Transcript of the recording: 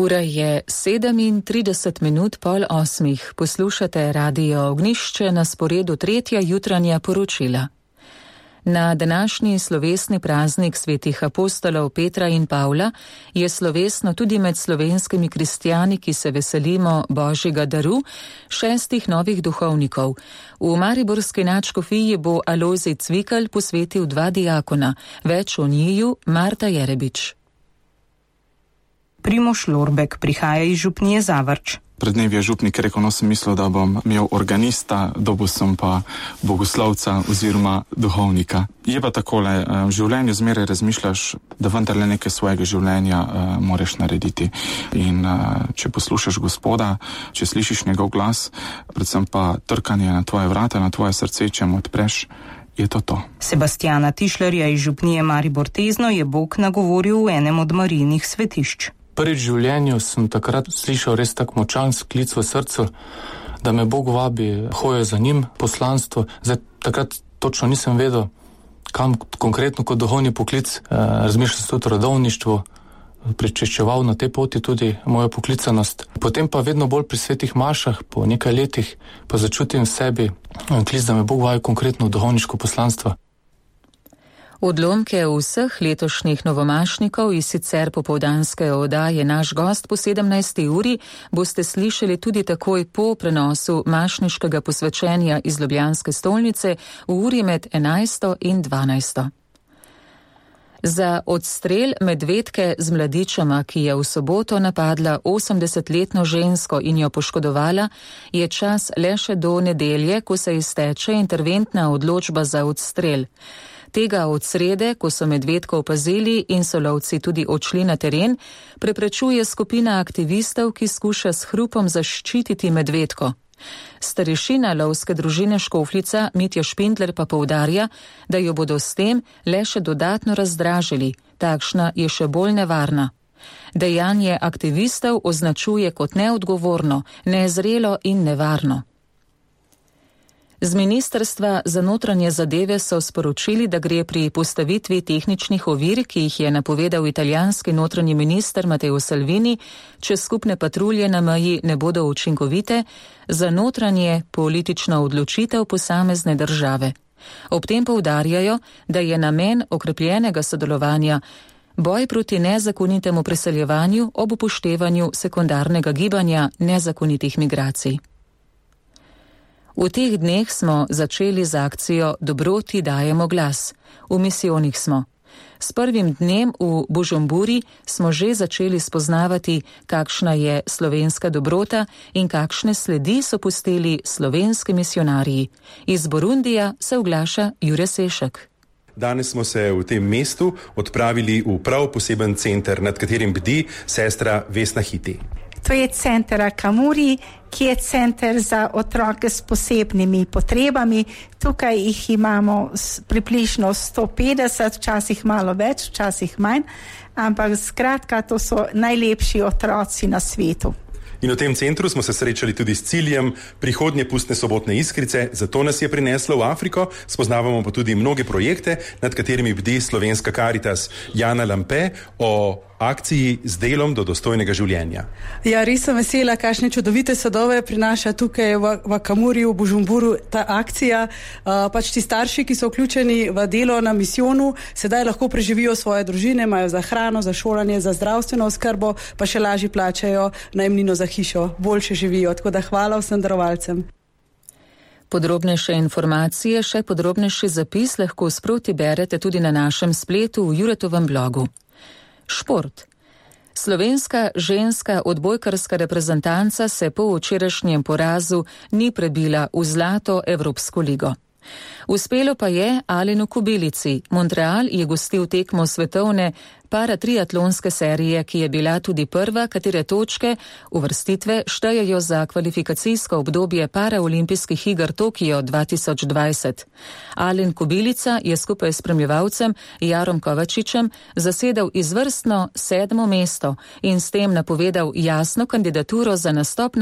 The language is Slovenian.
Ura je 37:37, poslušate Radio Ognjišče, na sporedu tretja jutranja poročila. Na današnji slovesni praznik svetih apostolov Petra in Pavla je slovesno tudi med slovenskimi kristjani, ki se veselimo Božjega daru, 6 novih duhovnikov. V mariborski nadškofiji bo Alojzij Cvikl posvetil 2 diakona, več o njiju Marta Jerebič. Primož Lorbek prihaja iz župnije Zavrč. Pred dnevi je župnik rekel, sem mislil, da bom imel organista, dobil sem pa bogoslovca oziroma duhovnika. Je pa takole, v življenju zmeraj razmišljaš, da vendarle nekaj svojega življenja moraš narediti. In če poslušaš Gospoda, če slišiš njegov glas, predvsem pa trkanje na tvoje vrata, na tvoje srce, če mu odpreš, je to. Sebastjana Tišlerja iz župnije Maribor Tezno je Bog nagovoril v enem od Marijinih svetišč. Prvič v življenju sem takrat slišal res tak močan sklic v srcu, da me Bog vabi, hojo za njim, poslanstvo. Zdaj, takrat točno nisem vedel, kam konkretno kot duhovni poklic. Razmišljal sem tudi o rodovništvu, pričeščeval na tej poti tudi mojo poklicanost. Potem pa vedno bolj pri svetih mašah, po nekaj letih, pa začutim v sebi klic, da me Bog vabi konkretno v duhovniško poslanstvo. Odlomke vseh letošnjih novomašnikov iz sicer popoldanske oddaje Naš gost po 17. uri boste slišali tudi takoj po prenosu mašniškega posvečenja iz Ljubljanske stolnice v uri med 11. in 12. Za odstrel medvedke z mladičama, ki je v soboto napadla 80-letno žensko in jo poškodovala, je čas le še do nedelje, ko se izteče interventna odločba za odstrel. Tega od srede, ko so medvedko opazili in so lovci tudi odšli na teren, preprečuje skupina aktivistov, ki skuša s hrupom zaščititi medvedko. Starešina lovske družine Škofljica Mitja Špindler pa poudarja, da jo bodo s tem le še dodatno razdražili, takšna je še bolj nevarna. Dejanje aktivistov označuje kot neodgovorno, nezrelo in nevarno. Z Ministrstva za notranje zadeve so sporočili, da gre pri postavitvi tehničnih ovir, ki jih je napovedal italijanski notranji minister Matteo Salvini, če skupne patrulje na meji ne bodo učinkovite, za notranje politično odločitev posamezne države. Ob tem poudarjajo, da je namen okrepljenega sodelovanja boj proti nezakonitemu preseljevanju ob upoštevanju sekundarnega gibanja nezakonitih migracij. V teh dneh smo začeli z akcijo Dobroti dajemo glas. V misijonih smo. S prvim dnem v Bužumburi smo že začeli spoznavati, kakšna je slovenska dobrota in kakšne sledi so pustili slovenski misionarji. Iz Burundija se oglaša Jure Sešek. Danes smo se v tem mestu odpravili v prav poseben center, nad katerim bdi sestra Vesna Hiti. To je center Akamuri, ki je center za otroke s posebnimi potrebami. Tukaj jih imamo približno 150, včasih malo več, včasih manj, ampak skratka, to so najlepši otroci na svetu. In v tem centru smo se srečali tudi s ciljem prihodnje pustne sobotne iskrice, zato nas je prineslo v Afriko, spoznavamo pa tudi mnoge projekte, nad katerimi bdi Slovenska Karitas. Jana Lampe o akciji z delom do dostojnega življenja. Ja, res sem vesela, kakšne čudovite sadove prinaša tukaj v Akamuri, v Bužumburu ta akcija. Pač ti starši, ki so vključeni v delo na misijonu, sedaj lahko preživijo svoje družine, imajo za hrano, za šolanje, za zdravstveno oskrbo, pa še lažje plačajo najemnino za hišo, boljše živijo. Tako da hvala vsem darovalcem. Podrobnejše informacije, še podrobnejši zapis lahko sproti berete tudi na našem spletu v Juretovem blogu. Šport. Slovenska ženska odbojkarska reprezentanca se po včerajšnjem porazu ni prebila v zlato Evropsko ligo. Uspelo pa je Alenu Kobilici. Montreal je gostil tekmo svetovne paratriatlonske serije, ki je bila tudi prva, katere točke uvrstitve štejejo za kvalifikacijsko obdobje paraolimpijskih iger Tokio 2020. Alen Kobilica je skupaj s spremljevalcem Jarom Kovačičem zasedel izvrstno 7. mesto in s tem napovedal jasno kandidaturo za nastop na